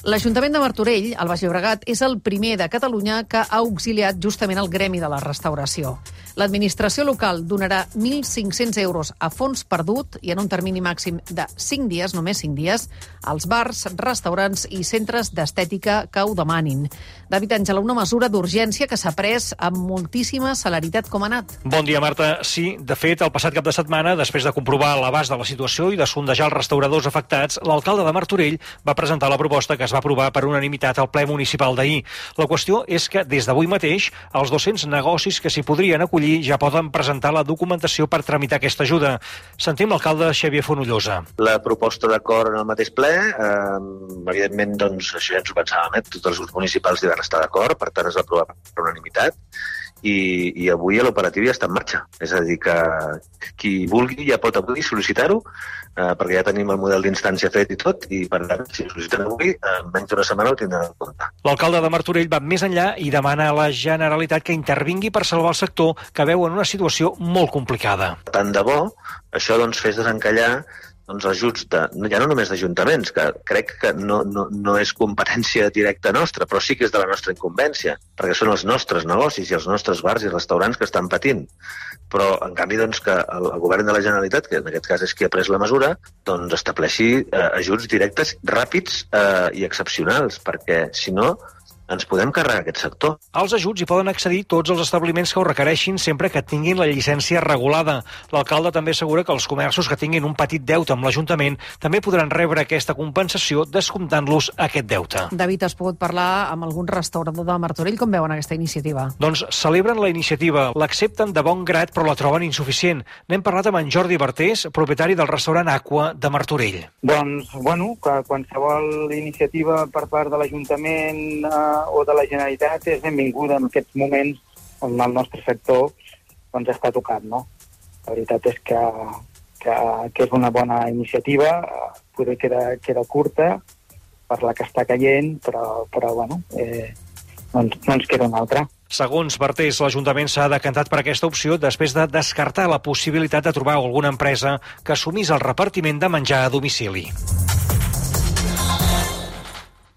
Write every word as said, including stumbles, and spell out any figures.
L'Ajuntament de Martorell, al Baix Llobregat, és el primer de Catalunya que ha auxiliat justament el gremi de la restauració. L'administració local donarà mil cinc-cents euros a fons perdut i en un termini màxim de cinc dies, només cinc dies, als bars, restaurants i centres d'estètica que ho demanin. David Àngela, una mesura d'urgència que s'ha pres amb moltíssima celeritat. Com ha anat? Bon dia, Marta. Sí, de fet, el passat cap de setmana, després de comprovar l'abast de la situació i de sondejar els restauradors afectats, l'alcalde de Martorell va presentar la proposta que es va aprovar per unanimitat al ple municipal d'ahir. La qüestió és que des d'avui mateix els dos-cents negocis que s'hi podrien acollir ja poden presentar la documentació per tramitar aquesta ajuda. Sentim l'alcalde Xavier Fonollosa. La proposta d'acord en el mateix ple, eh, evidentment, doncs, això ja ens ho pensàvem, eh? Tots els grups municipals hi van estar d'acord, per tant es va aprovar per unanimitat. I, i avui l'operatiu ja està en marxa. És a dir, que qui vulgui ja pot avui sol·licitar-ho, eh, perquè ja tenim el model d'instància fet i tot, i per tant, si sol·liciten avui, en menys d'una setmana ho tindran en compte. L'alcalde de Martorell va més enllà i demana a la Generalitat que intervingui per salvar el sector, que veu en una situació molt complicada. Tant de bo, això doncs, fes desencallar doncs, ajuts de, ja no només d'ajuntaments, que crec que no, no, no és competència directa nostra, però sí que és de la nostra incumbència, perquè són els nostres negocis i els nostres bars i restaurants que estan patint. Però, en canvi, doncs, que el, el govern de la Generalitat, que en aquest cas és qui ha pres la mesura, doncs estableixi eh, ajuts directes, ràpids eh, i excepcionals, perquè, si no, ens podem carregar aquest sector. Als ajuts hi poden accedir tots els establiments que ho requereixin sempre que tinguin la llicència regulada. L'alcalde també assegura que els comerços que tinguin un petit deute amb l'Ajuntament també podran rebre aquesta compensació descomptant-los aquest deute. David, has pogut parlar amb algun restaurador de Martorell? Com veuen aquesta iniciativa? Doncs celebren la iniciativa, l'accepten de bon grat però la troben insuficient. N'hem parlat amb en Jordi Bartés, propietari del restaurant Aqua de Martorell. Doncs, bueno, que qualsevol iniciativa per part de l'Ajuntament eh, o de la Generalitat és benvinguda en aquests moments on el nostre sector doncs, està tocat, no? La veritat és que, que, que és una bona iniciativa, poder queda, queda curta per la que està caient, però, però bueno, eh, no, no ens queda una altra. Segons Bartés, l'Ajuntament s'ha decantat per aquesta opció després de descartar la possibilitat de trobar alguna empresa que assumís el repartiment de menjar a domicili.